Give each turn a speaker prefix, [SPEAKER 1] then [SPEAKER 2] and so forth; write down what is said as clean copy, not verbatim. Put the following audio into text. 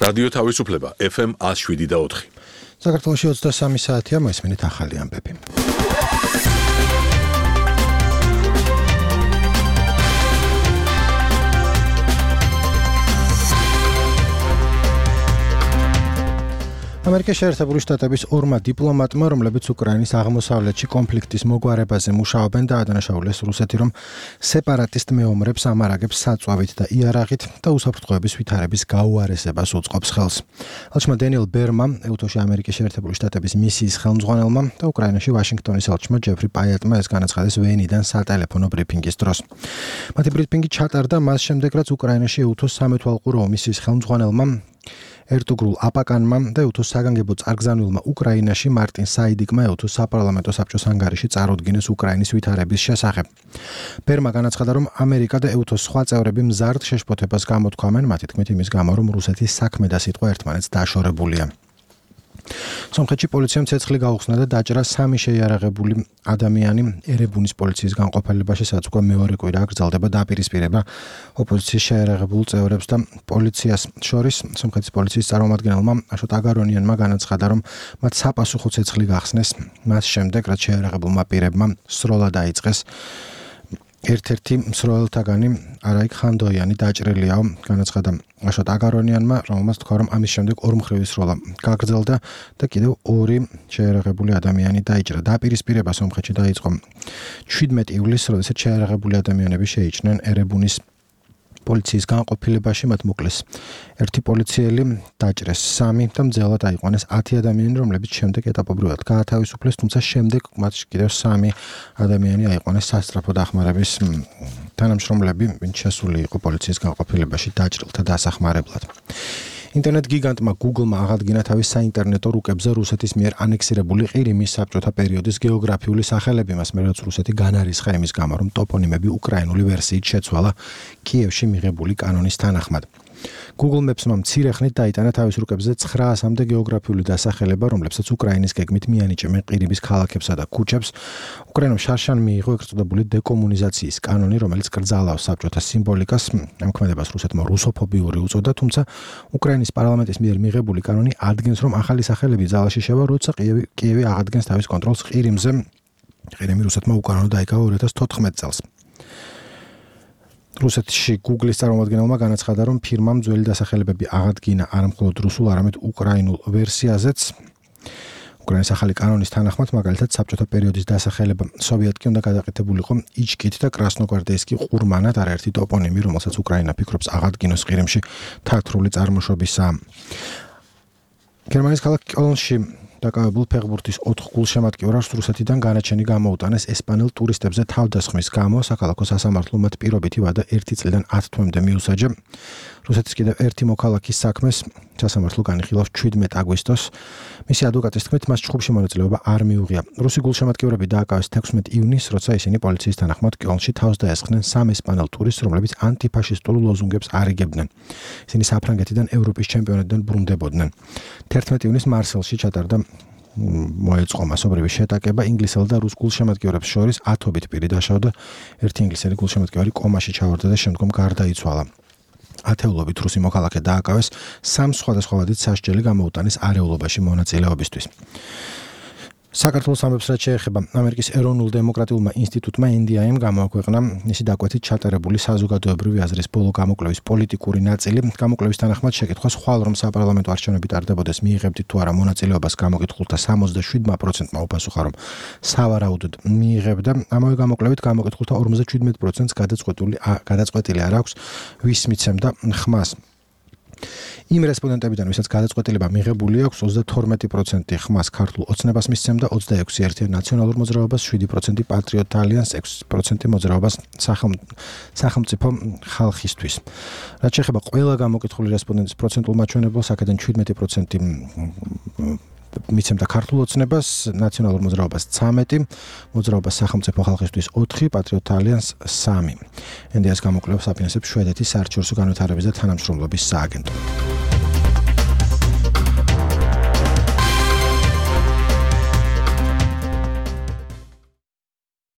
[SPEAKER 1] რადიო თავისუფლება FM 107.4.
[SPEAKER 2] საქართველოში 23 საათია, მოისმენთ ახალი ამბები. ამერიკის შეერთებული შტატების ორმა დიპლომატმა, რომლებიც უკრაინის აღმოსავლეთში კონფლიქტის მოგვარებაზე მუშაობენ, დაადანაშაულეს რუსეთი, რომ სეპარატისტ მეომრებს ამარაგებს საწვავით და იარაღით და უსაფრთხოების ვითარების გაუარესებას უწყობს ხელს. ალჩმა დენიელ ბერმა, ეუთოში ამერიკის შეერთებული შტატების მისიის ხელმძღვანელმა და უკრაინაში ვაშინგტონის ალჩმა ჯეფრი პაიატმა ეს განაცხადეს ვენიდან სატელეფონო ბრიფინგის დროს. მათი ბრიფინგი ჩატარდა მას შემდეგ, რაც უკრაინაში ეუთოს სამეთვალყურო მისიის ხელმძღვანელმა ერტუგრულ აპაკანმა და ეუთოს საგანგებო წარგზავნილმა უკრაინაში მარტინ საიდიკმა ეუთოს საპარლამენტო საბჭოს ანგარიში წარუდგინეს უკრაინის ვითარების შესახებ. ბერმა განაცხადა, რომ ამერიკა და ეუთოს სხვა წევრები მზარდ შეშფოთებას გამოთქვამენ, მათი თქმით იმის გამო, რომ რუსეთის საქმე და სიტყვა ერთმანეთს დაშორებულია. სომხეთში პოლიციამ ცეცხლი გაუხსნა და დაჭრა 3 შეიარაღებული ადამიანი ერებუნის პოლიციის განყოფილებაში, სადაც უკვე მეორე კვირა გრძელდება დაპირისპირება ოპოზიციის შეიარაღებულ წევრებს და პოლიციას შორის. სომხეთის პოლიციის წარმომადგენელმა აშოტ აგარონიანმა განაცხადა, რომ მათ საპასუხო ცეცხლი გახსნეს მას შემდეგ, რაც შეიარაღებულმა პირებმა სროლა დაიწყეს. ერთ-ერთი მსროლელთაგანი არაიკ ხანდოიანი დაჭრილიაო, განაცხადა აშოტ აგარონიანმა, რომელმაც თქვა, რომ ამის შემდეგ ორმხრივი სროლა გაგრძელდა და კიდევ 2 შეიარაღებული ადამიანი დაიჭრა. დაპირისპირება სომხეთში დაიწყო 17 ივლისს, როდესაც შეიარაღებული ადამიანები შეიჭრნენ ერებუნის პოლიციის განყოფილებაში, მათ მოკლეს 1 პოლიციელი, დაჭრეს 3 და მძელად აიყვანეს 10 ადამიანი, რომლებიც შემდეგ ეტაპობრივად გაათავისუფლეს, თუმცა შემდეგ მათ კიდევ 3 ადამიანი აიყვანეს სასწრაფო დახმარების თანამშრომლები, ვინც შესული იყო პოლიციის განყოფილებაში დაჭრილთა დასახმარებლად. ინტერნეტ გიგანტმა Google-მა აღადგინა თავის საინტერნეტო რუკებზე რუსეთის მიერ ანექსირებული ყირიმის საბჭოთა პერიოდის გეოგრაფიული სახელები, მას მერე რაც რუსეთი განარისხა იმის გამო, რომ ტოპონიმები უკრაინული ვერსიით შეცვალა კიევში მიღებული კანონის თანახმად. Google Maps-მა მცირე ხნით დაიტანა თავის რუკებზე 900-მდე გეოგრაფიული დასახელება, რომლებსაც უკრაინის გეგმით მიანიჭებენ ყირიმის ქალაქებსა და ქუჩებს. უკრაინამ შარშან მიიღო ეგრეთ წოდებული დეკომუნიზაციის კანონი, რომელიც კრძალავს საბჭოთა სიმბოლიკას. ამ ქმედებას რუსეთმა რუსოფობიური უწოდა, თუმცა უკრაინის პარლამენტის მიერ მიღებული კანონი ადგენს, რომ ახალი სახელები ძალაში შევა, როცა კიევი აღადგენს თავის კონტროლს ყირიმზე. ყირიმი რუსეთმა უკანონო დაიკავა 2014 წელს. რუსეთში Google-ის წარმომადგენელმა განაცხადა, რომ ფირმამ ძველი დასახელებები აღადგინა არა მხოლოდ რუსულ, არამედ უკრაინულ ვერსიაზეც. უკრაინის ახალი კანონის თანახმად, მაგალითად, საბჭოთა პერიოდის დასახელება სოვიეტკი უნდა გადაყეთებულიყო იჩკით და კრასნოგვარდეისკი ყურმანად, არაერთი ტოპონიმი, რომელსაც უკრაინა ფიქრობს აღადგინოს ყირიმში, თათრული წარმოშობისაა. გერმანიის ქალაქ კოლნში დაკავებულ ფეხბურთის 4 გულშემატკივრას რუსეთიდან განაჩენი გამოუტანეს ესპანელ ტურისტებზე თავდასხმის გამო. საქალაქო სასამართლომ მათ პირობითი ვადა 1 წლიდან 10 თვემდე მიუსაჯა. რუსეთის კიდევ ერთი მოქალაქის საქმეს სასამართლო განიხილავს 17 აგვისტოს. მისი ადვოკატის თქმით, მას ჩხუბში მონაწილეობა არ მიუღია. რუსი გულშემატკივრები დააკავეს 16 ივნისს, როცა ისინი პოლიციის თანახმად კოლნში თავს დაესხნენ 3 ესპანელ ტურისტს, რომლებიც ანტიფაშისტულ ლოზუნგებს არიგებდნენ. ისინი საფრანგეთიდან ევროპის ჩემპიონატიდან ბრუნდებოდნენ. 11 ივნისს მარსელში ჩატარდა მოეწყო მასობრივი შეტაკება ინგლისელ და რუს გულშემატკივრებს შორის 10-ობით პირი დაშავდა. ერთი ინგლისელი გულშემატკივარი კომაში ჩავარდა და შემდგომ გარდაიცვალა. ათეულობით რუსი მოქალაქე დააკავეს 3 სხვადასხვა ვადით სასჯელი გამოუტანეს არეულობაში მონაწილეობისთვის. საქართველოს ამბებს რაც შეეხება ამერიკის ეროვნულ დემოკრატიულმა ინსტიტუტმა NDI-მ გამოაქვეყნა მისი დაკვეთით ჩატარებული საზოგადოებრივი აზრის ბოლო გამოკვლევის პოლიტიკური ნაწილი. გამოკვლევის თანახმად შეკითხვას ხვალ რომ საპარლამენტო არჩევნები ტარდებოდეს მიიღებდით თუ არა მონაწილეობას გამოკითხულთა 77%-მა უპასუხა რომ სავარაუდოდ მიიღებდა. ამავე გამოკვლევით გამოკითხულთა 57%-ს გადაწყვეტილი არ აქვს ვის მიცემდა ხმას. იმ რესპონდენტებიდან, ვისაც გადაწყვეტილება მიღებული აქვს, 32% ხმას ქართულ ოცნებას მისცემდა, 26% ერთიან ნაციონალურ მოძრაობას, 7% პატრიოტ ალიანსს, 6% მოძრაობას სახელმწიფო ხალხისთვის. რაც შეეხება ყველა გამოკითხული რესპონდენტის პროცენტულ მაჩვენებელს, აქედან 17% მიცემდა ქართულ ოცნებას, ნაციონალურ მოძრაობას 13, მოძრაობას სახელმწიფო ხალხისთვის 4, პატრიოტ ალიანსს 3. NDI-ს გამოკვლევას აფინანსებს შვედეთის საერთაშორისო განვითარების და თანამშრომლობის სააგენტო.